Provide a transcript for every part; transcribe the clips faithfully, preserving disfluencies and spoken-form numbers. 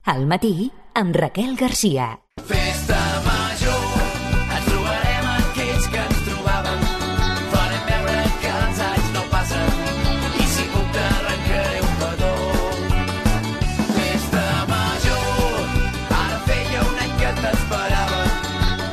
Al matí, amb Raquel Garcia. Festa major, ens trobarem aquells que ens trobàvem. Farem veure que els anys no passen i si puc t'arrencaré un petó. Festa major, ara feia un any que t'esperava.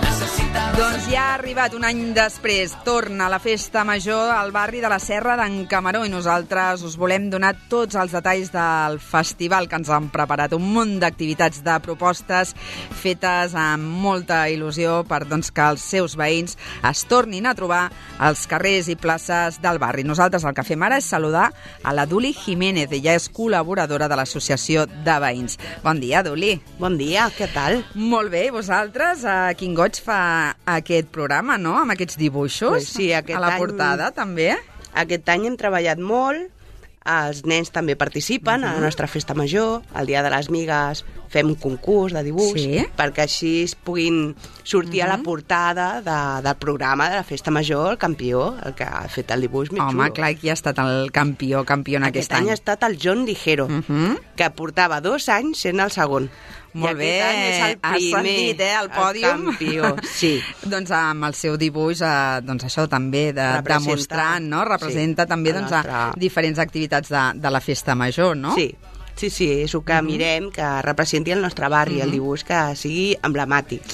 Necessitava... Doncs ja ha arribat un any després. Torna la festa major al barri de la Serra d'en Camaró i nosaltres us volem donar tots els detalls del festival que ens han preparat. Un munt d'activitats, de propostes fetes amb molta il·lusió per doncs, que els seus veïns es tornin a trobar als carrers i places del barri. Nosaltres el que fem ara és saludar a la Duli Jiménez. Ella és col·laboradora de l'Associació de Veïns. Bon dia, Duli. Bon dia, què tal? Molt bé, vosaltres, a quin goig fa aquest programa, no?, amb aquests dibuixos, pues sí, aquest a la any, portada, també. Aquest any hem treballat molt, els nens també participen uh-huh. a la nostra festa major, el dia de les migues fem un concurs de dibuix, sí? perquè així es puguin sortir uh-huh. a la portada de, del programa de la festa major, el campió, el que ha fet el dibuix més Home, xulo. clar, qui ha estat el campió, campió en aquest, aquest any? Aquest any ha estat el John Ligero, uh-huh. que portava dos anys sent el segon. Molt bé, el has sentit, eh, el pòdium. El campió, sí. Doncs amb el seu dibuix, eh, doncs això també, de, demostrant, no? Representa sí, també doncs, nostra... a diferents activitats de, de la festa major, no? Sí. Sí, sí, és el que uh-huh. mirem, que representi el nostre barri, uh-huh. el dibuix que sigui emblemàtic.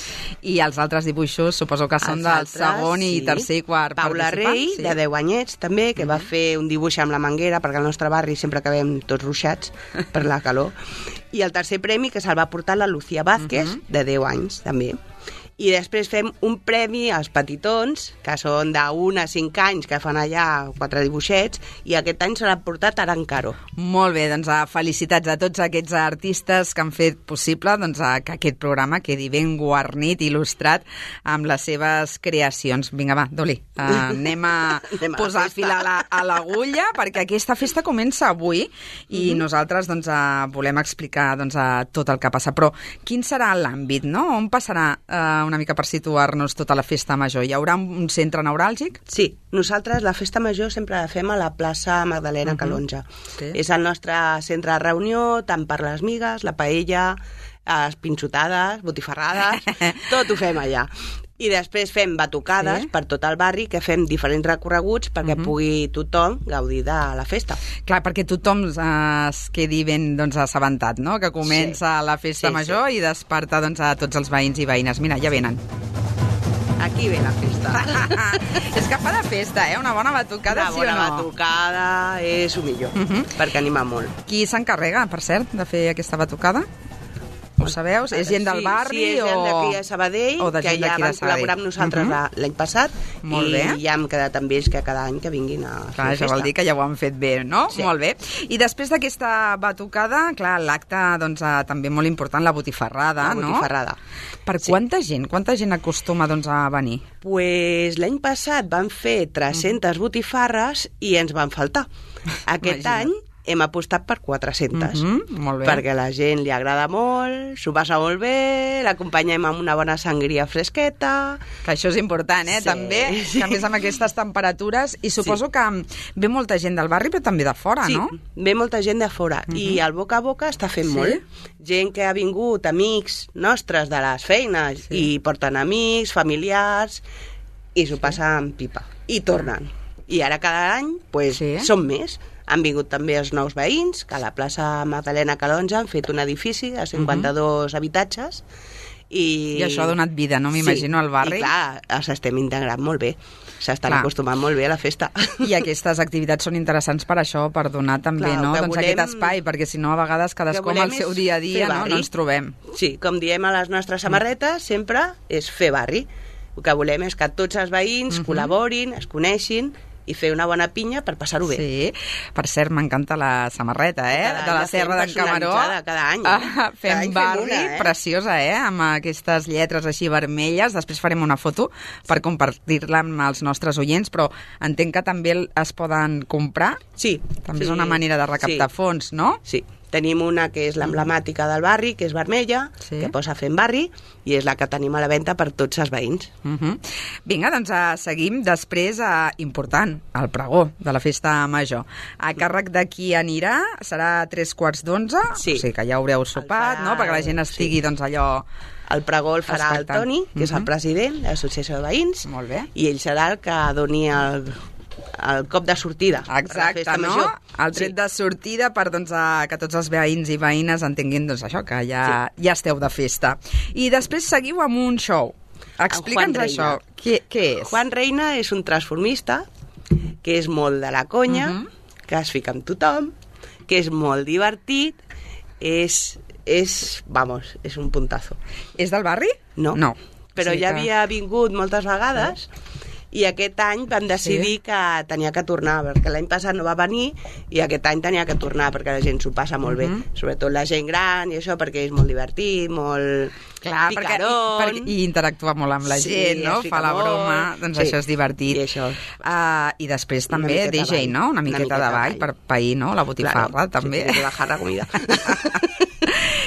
I els altres dibuixos suposo que són els del altres, segon i sí. tercer i quart Paula Rei, sí. de deu anyets, també, que uh-huh. va fer un dibuix amb la manguera, perquè al nostre barri sempre acabem tots ruixats per la calor. I el tercer premi, que se'l va portar la Lucía Vázquez, uh-huh. de deu anys, també. I després fem un premi als petitons, que són d'un a cinc anys, que fan allà quatre dibuixets, i aquest any se l'ha portat Aran Caro. Molt bé, doncs felicitats a tots aquests artistes que han fet possible doncs, que aquest programa quedi ben guarnit, il·lustrat amb les seves creacions. Vinga, va, Doli, uh, anem a anem a posar fil a, la, a l'agulla, perquè aquesta festa comença avui i mm-hmm. nosaltres doncs, uh, volem explicar doncs, uh, tot el que passa. Però quin serà l'àmbit, no? On passarà uh, una mica per situar-nos tota la festa major? Hi haurà un centre neuràlgic? Sí, nosaltres la festa major sempre la fem a la plaça Magdalena uh-huh. Calonja. Sí. És el nostre centre de reunió, tant per les migues, la paella, les pinxotades, botifarrades, tot ho fem allà. I després fem batucades sí. per tot el barri, que fem diferents recorreguts perquè uh-huh. pugui tothom gaudir de la festa. Clar, perquè tothom eh, es quedi ben doncs, assabentat, no?, que comença sí. la festa sí, major sí. i desperta doncs, a tots els veïns i veïnes. Mira, ja venen. Aquí ve la festa. És que fa de festa, eh? Una bona batucada, Una sí o no? Una bona batucada és el millor, uh-huh. perquè anima molt. Qui s'encarrega, per cert, de fer aquesta batucada? Ho sabeu? És gent del barri? Sí, és gent o... d'aquí a Sabadell, que ja van col·laborar amb nosaltres uh-huh. l'any passat, molt i bé. ja hem quedat amb ells que cada any que vinguin a fer clar, festa. això vol dir que ja ho han fet bé, no? Sí. Molt bé. I després d'aquesta batucada, clar, l'acte doncs, també molt important, la botifarrada, la no? botifarrada. Per sí. quanta gent? Quanta gent acostuma doncs, a venir? Pues l'any passat van fer tres-centes uh-huh. botifarres i ens van faltar. Aquest Imagina't. any hem apostat per quatre-centes, uh-huh, molt bé. perquè a la gent li agrada molt, s'ho passa molt bé, l'acompanyem amb una bona sangria fresqueta... Que això és important, eh? Sí, també, sí. que a més amb aquestes temperatures, i suposo sí. que ve molta gent del barri, però també de fora, sí, no? Sí, ve molta gent de fora, uh-huh. i el boca a boca està fent sí? molt. Gent que ha vingut, amics nostres de les feines, sí. i porten amics, familiars, i s'ho sí. passen pipa, i tornen. I ara cada any, pues, sí. són més. Han vingut també els nous veïns, que a la plaça Magdalena Calonja han fet un edifici de cinquanta-dos uh-huh. habitatges. I... I això ha donat vida, no? M'imagino, sí. al barri. I clar, els estem integrant molt bé. S'estan clar. acostumant molt bé a la festa. I aquestes activitats són interessants per això, per donar també clar, no? doncs volem... aquest espai, perquè si no a vegades cadascú amb el seu dia a dia no? no ens trobem. Sí, com diem a les nostres samarretes, sempre és fer barri. El que volem és que tots els veïns uh-huh. col·laborin, es coneixin, i fer una bona pinya per passar-ho bé. Sí, per cert, m'encanta la samarreta, eh? Cada de la Serra d'en Camaró. Cada any. Ah, fem cada any barri, fem una, eh? preciosa, eh? Amb aquestes lletres així vermelles. Després farem una foto per compartir-la amb els nostres oients, però entenc que també es poden comprar. Sí. També sí, és una manera de recaptar sí. fons, no? Sí. Tenim una que és l'emblemàtica del barri, que és vermella, Sí. que posa Fem Barri, i és la que tenim a la venda per tots els veïns. Uh -huh. Vinga, doncs uh, seguim després, uh, important, el pregó de la festa major. A càrrec de qui anirà serà a tres quarts d'onze, Sí. o sigui que ja haureu sopat, farà, no?, perquè la gent estigui, sí. doncs, allò... El pregó el farà el Expectant. Toni, que és el Mhm. president de l'Associació de Veïns, Molt bé. i ell serà el que doni el, el cop de sortida. per la Exacte, festa no? major. El tret Sí. de sortida per doncs, a, que tots els veïns i veïnes entenguin doncs, això, que ja, sí. ja esteu de festa. I després seguiu amb un show. Explica'ns Juan això. Reina. Què, què és? Juan Reina és un transformista que és molt de la conya, Mhm. que es fica amb tothom, que és molt divertit, és, és, vamos, és un puntazo. És del barri? No, No. però Sí ja que- havia vingut moltes vegades i aquest any vam decidir Sí. que tenia que tornar, perquè l'any passat no va venir i aquest any tenia que tornar perquè la gent s'ho passa molt Mhm. bé, sobretot la gent gran i això, perquè és molt divertit, molt Clar, perquè, picarón. perquè, i interactua molt amb la Sí, gent, no? es fica Fa la molt. broma, doncs Sí. això és divertit. I això. Uh, I després Una també miqueta D J, ball. no? Una Una miqueta, miqueta de ball ball. per pair, no? La botifarra, Claro, també. sí, que bajar la comida.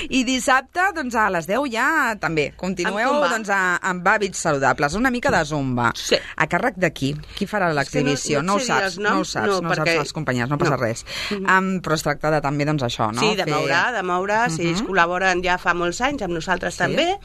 I dissabte, doncs a les deu ja també continueu Amb zumba. doncs, a, amb hàbits saludables, una mica de zumba. Sí. A càrrec de qui? Qui farà l'exhibició? no- no no, et ho sé dir saps, els no ho noms, saps, no, no, ho saps perquè- les companyies, no passa no. res. Um, però es tracta de també doncs, això, no? Sí, de Fer- moure, de moure. Si ells col·laboren ja fa molts anys, amb nosaltres Sí. també,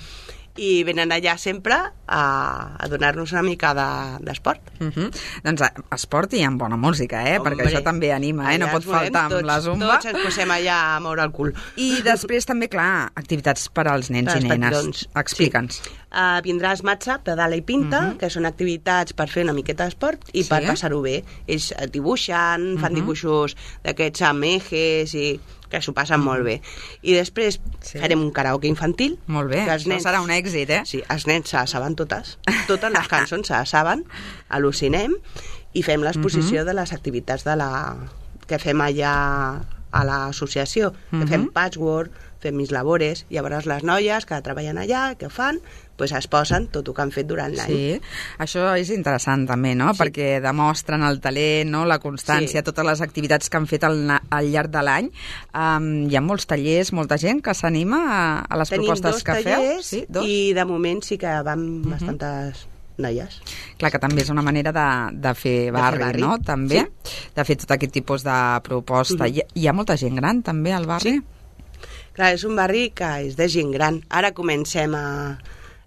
i venen allà sempre a, a donar-nos una mica de- d'esport. Uh -huh. Doncs eh, esport i amb bona música, eh? Perquè això també anima, eh? No Allà pot ens movem faltar amb tots, la zumba. Tots ens posem allà a moure el cul. I després també, clar, activitats per als nens Per i als nenes. petitons. Explica'ns. Uh, vindràs Matxa, Pedala i Pinta, Mhm. uh -huh. que són activitats per fer una miqueta d'esport i Sí. per passar-ho bé. Ells eh, dibuixen, fan Mhm. dibuixos d'aquests amb ejes i que s'ho passen molt bé. I després Sí. farem un karaoke infantil. Molt bé, que els això serà un èxit, eh? Sí, els nens se les saben totes. Totes les cançons se les saben, al·lucinem, i fem l'exposició Mhm. de les activitats de la... que fem allà a l'associació. Que Mhm. fem patchwork, fem mis labores, llavors les noies que treballen allà, que fan, pues es posen tot el que han fet durant l'any. Sí, això és interessant també, no? Sí. Perquè demostren el talent, no? La constància, Sí. totes les activitats que han fet al, na- al llarg de l'any. Um, hi ha molts tallers, molta gent que s'anima a, a les Tenim propostes dos que feu. tallers Sí, dos. i de moment sí que van bastantes noies. Clar, que també és una manera de, de fer barri, barri. no? També, Sí. de fer tot aquest tipus de proposta. Mhm. hi, hi ha molta gent gran també al barri? Sí. Clar, és un barri que és de gent gran. Ara comencem a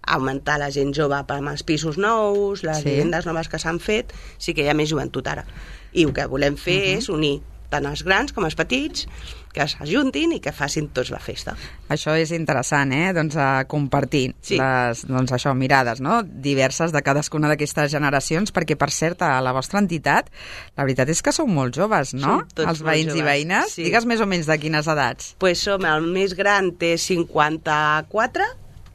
a augmentar la gent jove amb els pisos nous, les Sí. sí. vivendes noves que s'han fet, sí que hi ha més joventut ara. I el que volem fer uh -huh. és unir tant els grans com els petits, que s'ajuntin i que facin tots la festa. Això és interessant, eh? Doncs a compartir Sí. les, doncs això, mirades, no? Diverses de cadascuna d'aquestes generacions, perquè, per cert, a la vostra entitat, la veritat és que sou molt joves, no? Som tots Els molt veïns i joves, veïnes. sí. Digues més o menys de quines edats. Pues som el més gran, té cinquanta-quatre,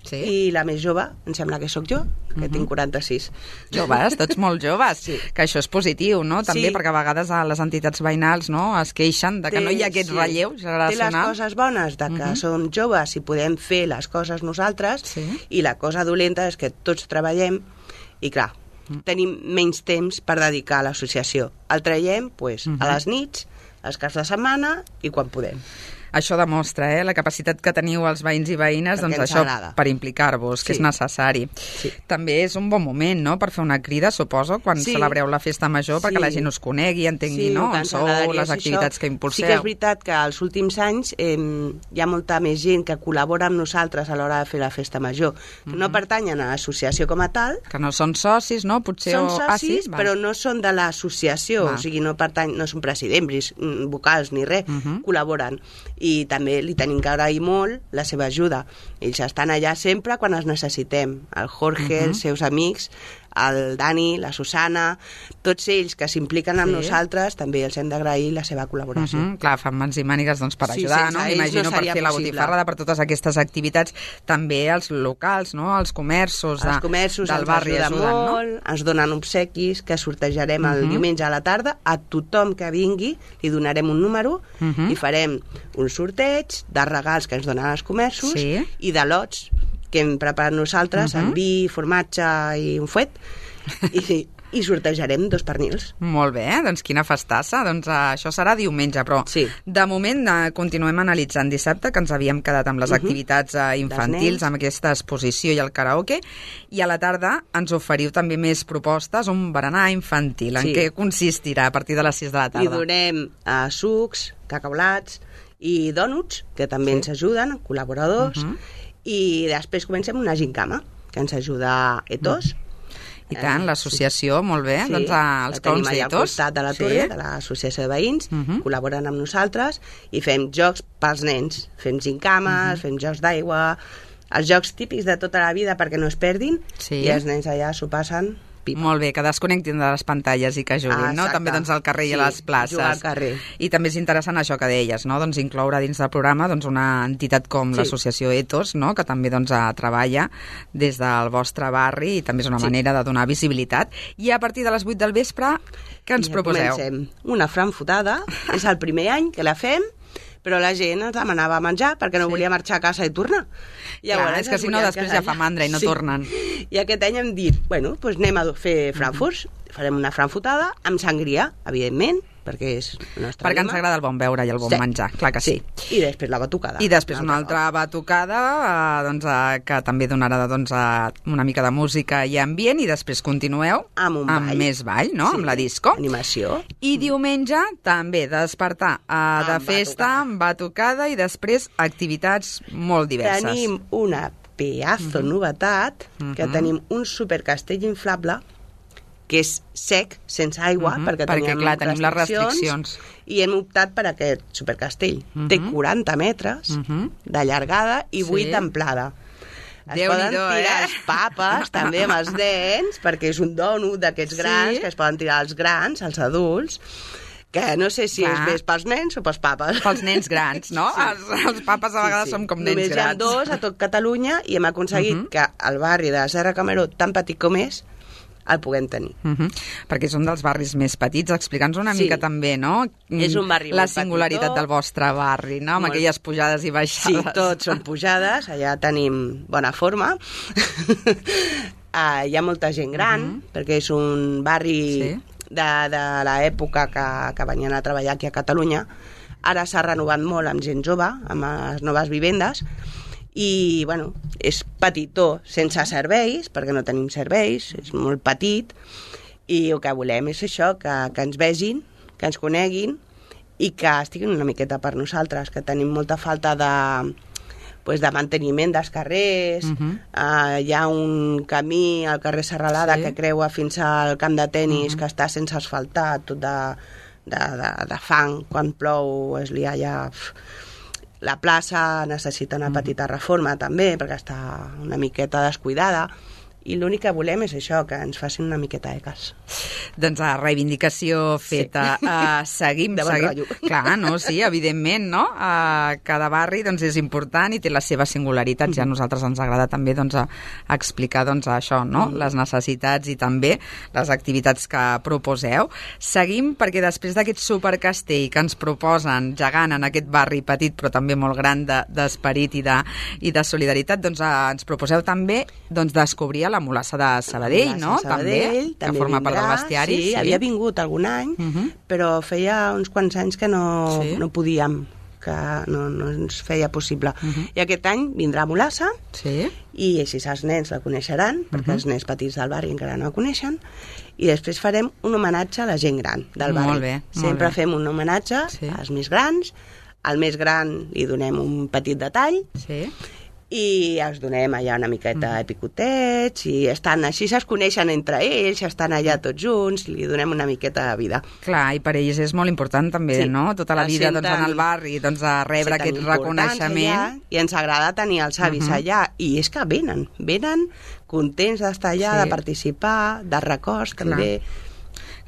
Sí. i la més jove, em sembla que sóc jo, que uh -huh. tinc quaranta-sis. Joves, tots molt joves, Sí. que això és positiu, no? També Sí. perquè a vegades a les entitats veïnals, no?, es queixen de que Té- no hi ha aquest sí. relleu Té les generacional. coses bones de que Mhm. som joves i podem fer les coses nosaltres, Sí. i la cosa dolenta és que tots treballem i, clar, Mm. tenim menys temps per dedicar a l'associació. El traiem pues, Mhm. a les nits, als caps de setmana i quan podem. Això demostra, eh, la capacitat que teniu els veïns i veïnes, Perquè doncs ens això, agrada. per implicar-vos, que Sí. és necessari. Sí. També és un bon moment, no?, per fer una crida, suposo, quan Sí. celebreu la festa major, perquè Sí. la gent us conegui, entengui, no?, el que on ens sou, agradaria les és activitats això. que impulseu. Sí que és veritat que als últims anys eh, hi ha molta més gent que col·labora amb nosaltres a l'hora de fer la festa major, que Mhm. no pertanyen a l'associació com a tal, Que no són socis, no? Potser... són o... socis, ah, sí? Val. però no són de l'associació, Va. o sigui, no pertany, no són presidents, mm, vocals ni res, Mhm. col·laboren. I també li tenim que agrair molt la seva ajuda. Ells estan allà sempre quan els necessitem. El Jorge, Mhm. els seus amics, el Dani, la Susana, tots ells que s'impliquen amb Sí. nosaltres, també els hem d'agrair la seva col·laboració. Mhm, clar, fan mans i mànigues doncs, per Sí, ajudar, sense no? ells M'imagino no per seria fer la possible. botifarrada, per totes aquestes activitats, també els locals, no?, els comerços, de, Els comerços del ens barri ajuden, ajuden, molt, no? ens donen obsequis que sortejarem el Mhm. diumenge a la tarda. A tothom que vingui li donarem un número Mhm. i farem un sorteig de regals que ens donen els comerços Sí. i de lots que hem preparat nosaltres, Mhm. amb vi, formatge i un fuet. I, i sortejarem dos pernils. Molt bé, doncs quina festassa. Doncs uh, això serà diumenge, però Sí. de moment uh, continuem analitzant dissabte, que ens havíem quedat amb les Mhm. activitats uh, infantils, nens. amb aquesta exposició i el karaoke, i a la tarda ens oferiu també més propostes, un berenar infantil. En Sí. què consistirà a partir de les sis de la I tarda? donem uh, sucs, cacaulats i dònuts, que també Sí. ens ajuden, col·laboradors, Mhm. i després comencem una gincama, que ens ajuda Etos. I tant, l'associació, molt bé, Sí, doncs uh, els la tenim clowns allà al d'Etos. costat de la torre, de l'associació de veïns, Mhm. col·laboren amb nosaltres i fem jocs pels nens. Fem gincames, fem jocs d'aigua, els jocs típics de tota la vida perquè no es perdin, Sí. i els nens allà s'ho passen pipa. Molt bé, que desconnectin de les pantalles i que juguin, Ah, no? exacte. També doncs al carrer i a Sí, les places. jugar al carrer. I també és interessant això que deies, no? Doncs incloure dins del programa doncs, una entitat com Sí. l'associació Etos, no? Que també doncs, eh, treballa des del vostre barri i també és una Sí. manera de donar visibilitat. I a partir de les vuit del vespre, què ens I ja proposeu? Comencem. Una franfotada, és el primer any que la fem, però la gent ens demanava menjar perquè no Sí. volia marxar a casa i tornar. Clar, és que es si no volien després quedar ja fa allà. mandra i no tornen. I aquest any hem dit, bueno, doncs anem a fer frankfurts, farem una frankfotada amb sangria, evidentment, perquè és el nostre Perquè ens lema. agrada el bon beure i el bon Sí. menjar, clar que sí. I després la batucada. I després una altre altra batucada eh, doncs, eh, que també donarà doncs, eh, una mica de música i ambient, i després continueu Amb un amb ball. més ball, no? Sí, Amb la disco. Animació. I diumenge també despertar eh, de Amb festa, batucada. amb batucada i després activitats molt diverses. Tenim una pedazo novetat, que Mhm. tenim un supercastell inflable que és sec, sense aigua, Mhm, perquè, perquè, teníem clar, tenim les restriccions. i hem optat per aquest supercastell. Mhm. Té quaranta metres Mhm. de llargada i Sí. vuit d'amplada. Es Déu-n'hi-do, poden tirar eh? els papes també amb els nens, perquè és un dònut d'aquests Sí. grans, que es poden tirar els grans, els adults, que no sé si Clar. és més pels nens o pels papes. Pels nens grans, no? Sí. Els, els papes a vegades som com nens Només grans. hi ha dos a tot Catalunya i hem aconseguit Mhm. que el barri de la Serra Cameró, tan petit com és, el puguem tenir. Uh -huh. Perquè és un dels barris més petits. Explica'ns una Sí. mica també, no? És un barri La molt singularitat petitó. del vostre barri, no? Amb Molt. aquelles pujades i Sí, baixades. tots són pujades, allà tenim bona forma. uh, hi ha molta gent gran, Mhm. perquè és un barri Sí. de, de l'època que, que venien a treballar aquí a Catalunya. Ara s'ha renovat molt amb gent jove, amb les noves vivendes, i bueno, és petitó, sense serveis, perquè no tenim serveis, és molt petit, i el que volem és això, que, que ens vegin, que ens coneguin, i que estiguin una miqueta per nosaltres, que tenim molta falta de, pues, de manteniment dels carrers. Mhm. uh, hi ha un camí al carrer Serralada Sí. que creua fins al camp de tennis, que està sense asfaltar, tot de, de, de, de fang, quan plou es lia allà. Pf. La plaça necessita una petita reforma també, perquè està una miqueta descuidada, i l'únic que volem és això, que ens facin una miqueta de cas. Doncs a reivindicació feta. Sí. Uh, seguim, De bon seguim. rotllo. Clar, no? Sí, evidentment, no? Uh, cada barri doncs, és important i té les seves singularitats. Ja a nosaltres ens agrada també doncs, a, a explicar doncs, això, no? Les necessitats i també les activitats que proposeu. Seguim perquè després d'aquest supercastell que ens proposen gegant en aquest barri petit però també molt gran de- d'esperit i, de, i de solidaritat, doncs uh, ens proposeu també doncs, descobrir la mulassa de Sabadell, La no? Sabadell, també, que forma part del vindrà, bestiari. Sí, havia vingut algun any, Mhm. però feia uns quants anys que no, Sí. no podíem, que no, no ens feia possible. Mhm. I aquest any vindrà a Mulassa, Sí. i així els nens la coneixeran, perquè Mhm. els nens petits del barri encara no la coneixen, i després farem un homenatge a la gent gran del barri. Molt bé, molt Sempre bé. fem un homenatge Sí. als més grans, al més gran li donem un petit detall, Sí. i els donem allà una miqueta de picotets, i estan així, es coneixen entre ells, estan allà tots junts, li donem una miqueta de vida. Clar, i per ells és molt important també, Sí. no? Tota la Els vida doncs, senten- en el barri, doncs, a rebre Se aquest tan importants reconeixement. allà, I ens agrada tenir els avis Mhm. allà, i és que venen, venen contents d'estar allà, Sí. de participar, de records també.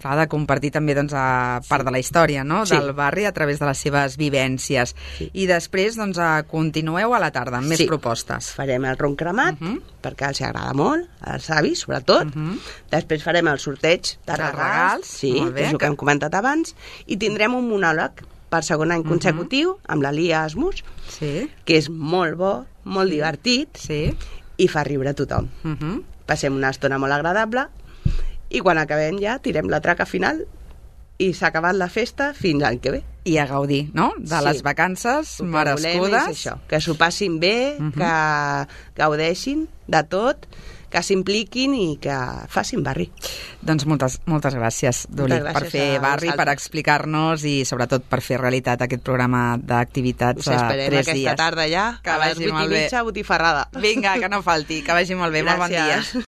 Clar, de compartir també doncs, a part de la història, no? Sí. Del barri a través de les seves vivències. Sí. I després doncs, a, continueu a la tarda amb més Sí. propostes. Farem el ron cremat, Mhm. perquè els agrada molt, als avis, sobretot. Mhm. Després farem el sorteig de De regals, regals, sí, molt bé, que és el que- que hem comentat abans, i tindrem un monòleg per segon any consecutiu amb la Lia Asmus, Sí, que és molt bo, molt divertit, sí. i fa riure a tothom. Uh -huh. Passem una estona molt agradable, i quan acabem ja tirem la traca final i s'ha acabat la festa fins l'any que ve. I a gaudir, no?, de Sí. les vacances El que volem merescudes. és això, que s'ho passin bé, Mhm. que gaudeixin de tot, que s'impliquin i que facin barri. Doncs moltes, moltes gràcies, Duli, Moltes per gràcies fer a barri, per vosaltres. explicar-nos i sobretot per fer realitat aquest programa d'activitats Us a esperem tres aquesta dies. tarda ja, Que a les vagi vuit molt i bé. mitja, botifarrada. Vinga, que no falti, que vagi molt bé, molt bon dia. Gràcies.